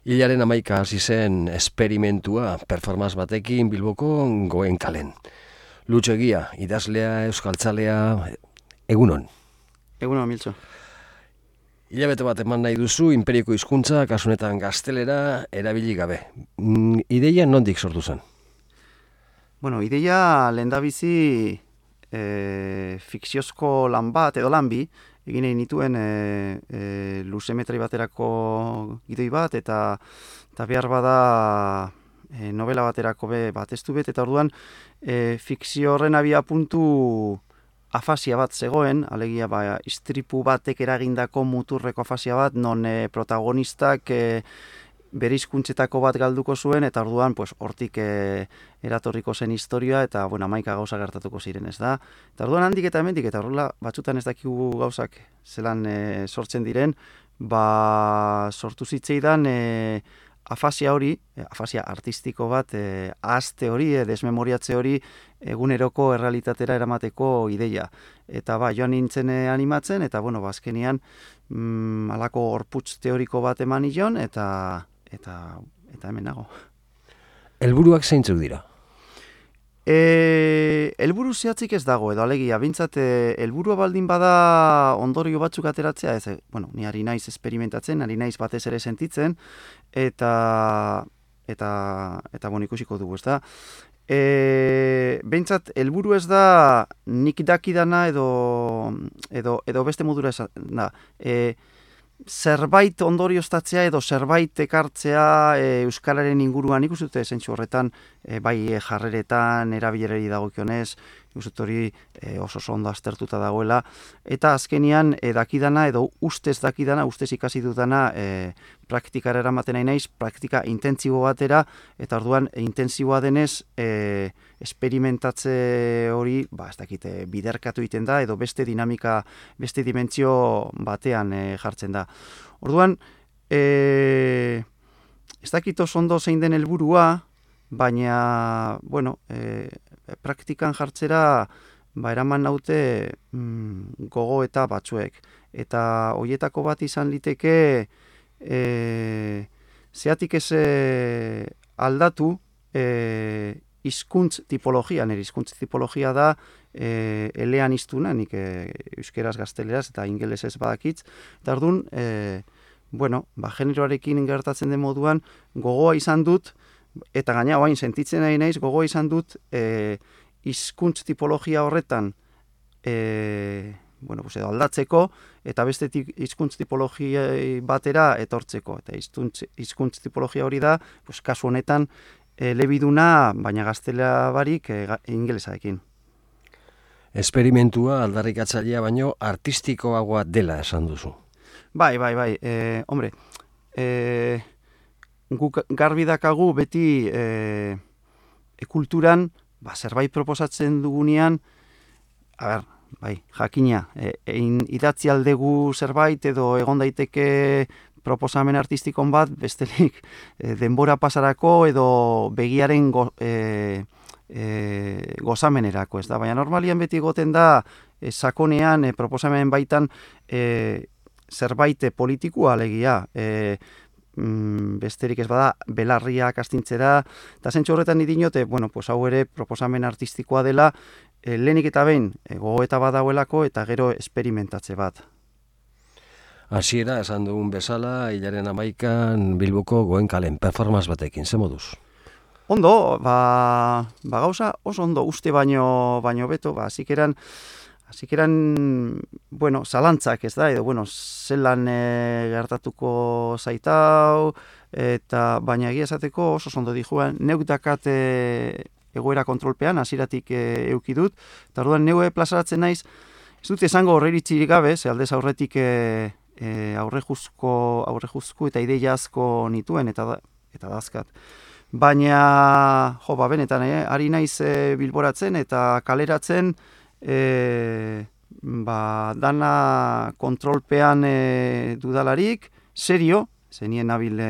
Hilaren 11 hasi zen esperimentua performance batekin Bilboko Goen kalen. Lutxo Egia, idazlea, euskaltzalea, egunon. Egunon, Miltxo. Hilabete bat eman nahi duzu inperioko hizkuntza, kasunetan gaztelera, erabili gabe. Ideia nondik sortu zen? Bueno, ideia lehendabizi fikziozko lan bat edo lan bi, egin nahi nituen luzemetri baterako gidoi bat, eta behar bada novela baterako bat ez du bet, eta orduan fikzio horren abia puntu afasia bat zegoen, alegia istripu batek eragindako muturreko afasia bat, non protagonistak bere hizkuntzetako bat galduko zuen, eta orduan hortik eratorriko zen historia, eta 11 gauza gertatuko ziren, ez da? Eta orduan handik eta hemendik, eta horrela batzutan ez dakigu gauzak zelan sortzen diren, sortu zitzaidan afasia hori, afasia artistiko bat, ahazte hori, desmemoriatze hori, eguneroko errealitatera eramateko ideia. Eta joan nintzen animatzen, eta azkenean halako horputz teoriko bat eman nion, eta hemen nago. Helburuak zeintzuk dira? Helburu zehatzik ez dago, edo alegia, bintzat, helburua baldin bada ondorio batzuk ateratzea, ez, ni ari naiz esperimentatzen, ari naiz batez ere sentitzen, eta ikusiko dugu, ez da. Bintzat, helburu ez da nik dakidana edo beste modura esan da. Zerbait ondorioztatzea edo zerbait ekartzea euskararen inguruan, nik uste dute zentzu horretan, bai jarreretan, erabilerari dagokionez, nik uste hori oso ondo aztertuta dagoela, eta azkenian dakidana edo ustez dakidana, ustez ikasi dudana praktikara eramaten nahi naiz, praktika intentsibo batera, eta orduan intentsiboa denez esperimentatze hori, ez dakite, biderkatu egiten da, edo beste dinamika, beste dimentsio batean jartzen da. Orduan, ez dakit oso ondo zein den helburua, baina, praktikan jartzera, eraman naute gogo eta batzuek. Eta horietako bat izan liteke, zeatik ez aldatu, hizkuntz tipologia, nire hizkuntz tipologia da elean iztuna, nik euskeraz, gazteleraz eta ingelesez badakitz, eta orduan, generoarekin gertatzen den moduan, gogoa izan dut, eta gaina oain sentitzen nahi naiz, gogoa izan dut hizkuntz tipologia horretan edo aldatzeko, eta beste hizkuntz tipologia batera etortzeko. Eta hizkuntz tipologia hori da, kasu honetan, elebiduna, baina gaztelera barik ingelesarekin. Esperimentua aldarrikatzailea baino artistikoagoa dela esan duzu. Bai. Hombre, guk garbi dakagu beti kulturan, zerbait proposatzen dugunean, jakina, idatzi aldegu zerbait edo egon daiteke proposamen artistikon bat, bestelik denbora pasarako edo begiaren gozamenerako, ez da? Baina normalian beti egoten da sakonean proposamen baitan zerbait politikua alegia, besterik ez bada belarriak astintzera, eta zentzu horretan idinote, hau ere proposamen artistikoa dela, lehenik eta behin gogoeta badauelako eta gero esperimentatze bat. Hasiera esan dugun bezala, hilaren 11 Bilboko Goen kalen performance batekin, ze moduz? Ondo, gauza oso ondo uste baino beto, hasikeran, zalantzak ez da, edo, zelan gertatuko zaitau, eta baina egia esateko oso ondo dijuan, neuk dakat egoera kontrolpean, hasieratik eduki dut, eta orduan neue plazaratzen naiz, ez dut esango horreiritzirik gabe, ze aldez aurretik aurrejuzko eta ideia asko nituen, eta dazkat. Baina, benetan, ari naiz bilboratzen eta kaleratzen, dana kontrolpean dudalarik, serio, zenien nabil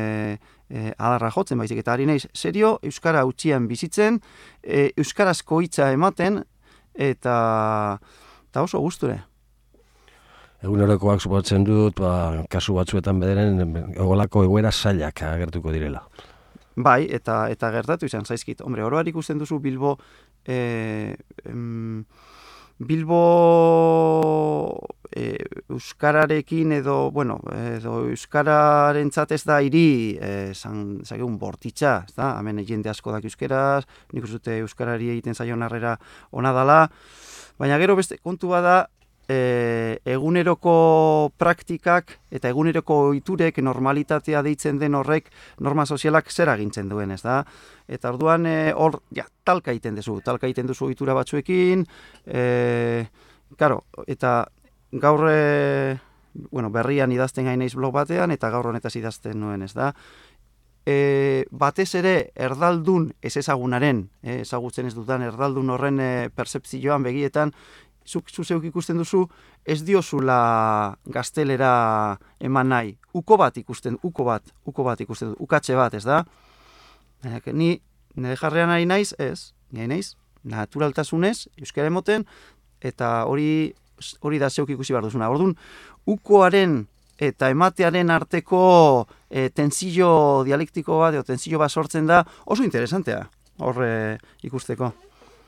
adarra jotzen, baizik, eta ari naiz, serio, euskara utzian bizitzen, euskarazko hitza ematen, eta oso gusture. Egunerokoak suposatzen dut, kasu batzuetan bederen, egolako egoera zailak agertuko direla. Bai, eta gertatu izan zaizkit. Hombre, oroar ikusten duzu Bilbo euskararekin edo euskararentzat ez da hiri zageun bortitza, ez da? Hemen jende asko dak euskeraz, nik uste dute euskarari egiten zaion harrera ona dala, baina gero beste kontu bada eguneroko praktikak eta eguneroko ohiturek normalitatea deitzen den horrek norma sozialak zer agintzen duen, ez da? Eta orduan hor talka egiten duzu ohitura batzuekin, eta gaur berrian idazten gai naiz blog batean eta gaur honetaz idazten nuen, ez da? Batez ere erdaldun ez ezagunaren, ezagutzen ez dudan erdaldun horren pertzepzioan begietan zuk zeuk ikusten duzu, ez diozula gaztelera eman nahi. Uko bat ikusten du, ukatxe bat, ez da? Ni nire jarrean ari naiz, naturaltasunez, euskara emoten, eta hori da zeuk ikusi behar duzuna. Orduan, ukoaren eta ematearen arteko tensio dialektiko bat, tensio bat sortzen da, oso interesantea, hor ikusteko.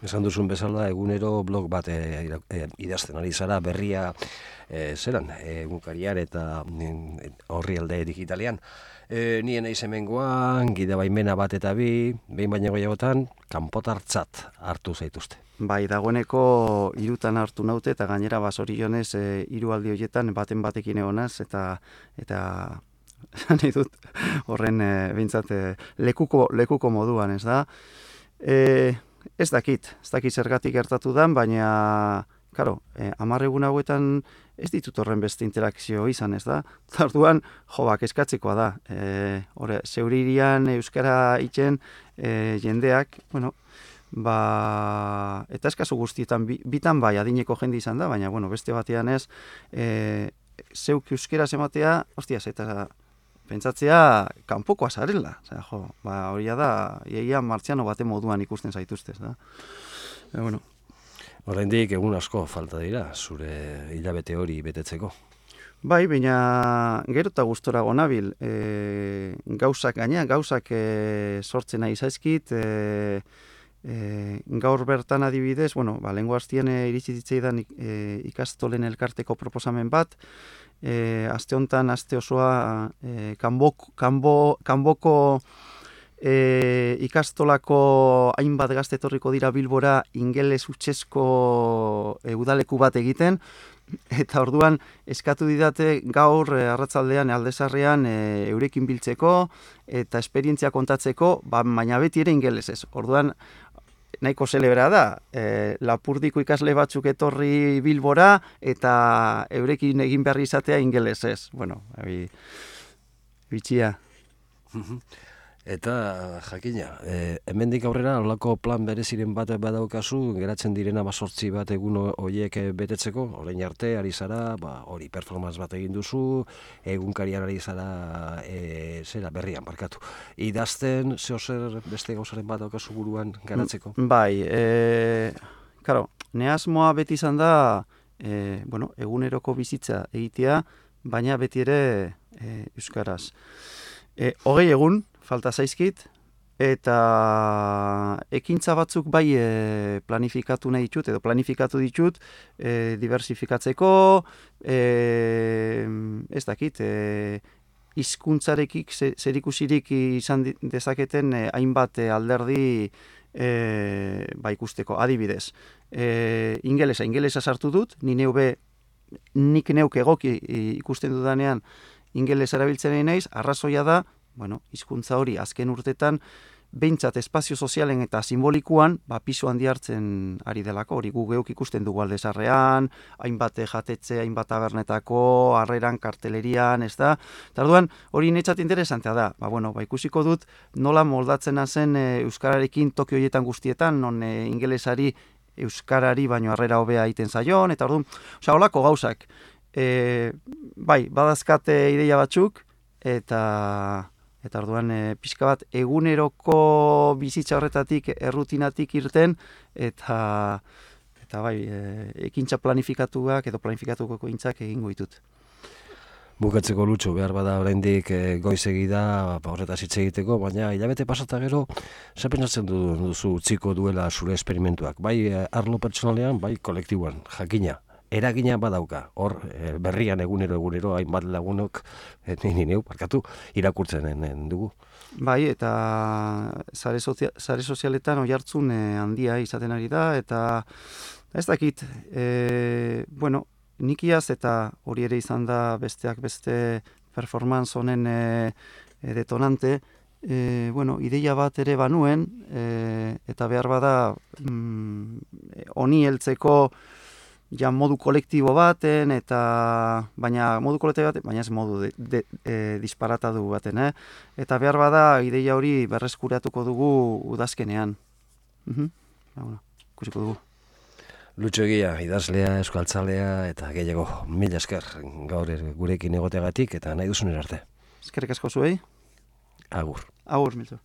Esan duzun bezala, egunero blog bat idazten ari zara, berria egunkarian eta orrialde digitalean. Nien eiz hemengoan, gida baimena bat eta behin baino gehiagotan, kanpotartzat hartu zaituzte. Bai, dagoeneko 3 hartu naute, eta gainera zorionez 3 aldi horietan baten batekin egonaz, eta nahi dut horren behintzat lekuko moduan, ez da? Ez dakit zergatik gertatu dan, baina, 10 egun hauetan ez ditut horren beste interakzio izan, ez da? Orduan, kezkatzekoa da. Zeuririan euskara itzen jendeak, eta eskazu guztietan, bitan bai, adineko jende izan da, baina, beste batean ez, zeuk euskera ematea, eta pentsatzea kanpokoa zarela. Hori da, iaia martziano bate moduan ikusten zaituztez, da. Oraindik egun asko falta dira, zure hilabete hori betetzeko. Bai, baina gero eta gustora gonabil. Gauzak sortzen nahi zaizkit, gaur bertan adibidez, lehengo hastien iritsi zitzaidan ikastolen elkarteko proposamen bat, aste honetan, aste osoa, kanboko ikastolako hainbat gazte etorriko dira Bilbora ingeles hutsezko udaleku bat egiten, eta orduan eskatu didate gaur arratzaldean aldezarrean eurekin biltzeko eta esperientzia kontatzeko, baina beti ere ingelesez. Orduan nahiko zelebra da, Lapurdiko ikasle batzuk etorri Bilbora eta eurekin egin behar izatea ingelesez. Bitxia. Eta, jakina, hemendik aurrera, holako plan bereziren bat badaukazu, geratzen direna 8 bat egun horiek betetzeko, orain arte, ari zara, hori performance bat egin duzu, egunkarian ari zara, berrian, barkatu. Idazten, zer beste gauzaren bat daukazu buruan garatzeko? Bai, ne asmoa beti izan da, eguneroko bizitza egitea, baina beti ere euskaraz. 20 egun, falta zaizkit, eta ekintza batzuk bai planifikatu nahi ditut, edo planifikatu ditut, diversifikatzeko, ez dakit, hizkuntzarekik zerikusirik izan dezaketen hainbat alderdi ikusteko, adibidez. Ingelesa sartu dut, nik neuk egoki ikusten dudanean ingeles erabiltzen nahi naiz, arrazoia da, hizkuntza hori azken urtetan, behintzat espazio sozialen eta simbolikuan, pisu handi hartzen ari delako, hori gu geuk ikusten dugu aldezarrean, hainbat jatetxe, hainbat tabernetako, harreran, kartelerian, ez da? Eta orduan, hori netzat interesantea da. Ikusiko dut nola moldatzen zen euskararekin Tokio horietan guztietan, non ingelesari euskarari baino harrera hobea egiten zaion, eta orduan, holako gauzak. Badazkate ideia batzuk, eta orduan pixka bat eguneroko bizitza horretatik, errutinatik irten, eta eta bai, ekintza planifikatuak edo planifikatuko ekintzak egingo ditut. Bukatzeko Lutxo, behar bada oraindik goizegi da horretaz hitz egiteko, baina hilabete pasata gero, zer pentsatzen duzu utziko duela zure esperimentuak, bai arlo pertsonalean, bai kolektiboan, jakina, eragina badauka, hor berrian egunero hainbat lagunok, irakurtzen dugu. Bai, eta sare sozialetan oihartzun handia izaten ari da, eta ez dakit, bueno, nik iaz eta hori ere izan da besteak beste performance honen detonante, bueno, ideia bat ere banuen, eta behar bada honi heltzeko ja modu kolektibo baten, baina modu kolektibo baten, baina ez modu disparatadu baten, eta behar bada ideia hori berreskuratuko dugu udazkenean. Bueno, ikusiko dugu. Lutxo Egia, idazlea, euskaltzalea eta gehiago, mila esker gaur gurekin egoteagatik eta nahi duzun arte. Eskerrik asko zuei. Agur. Agur, Milton.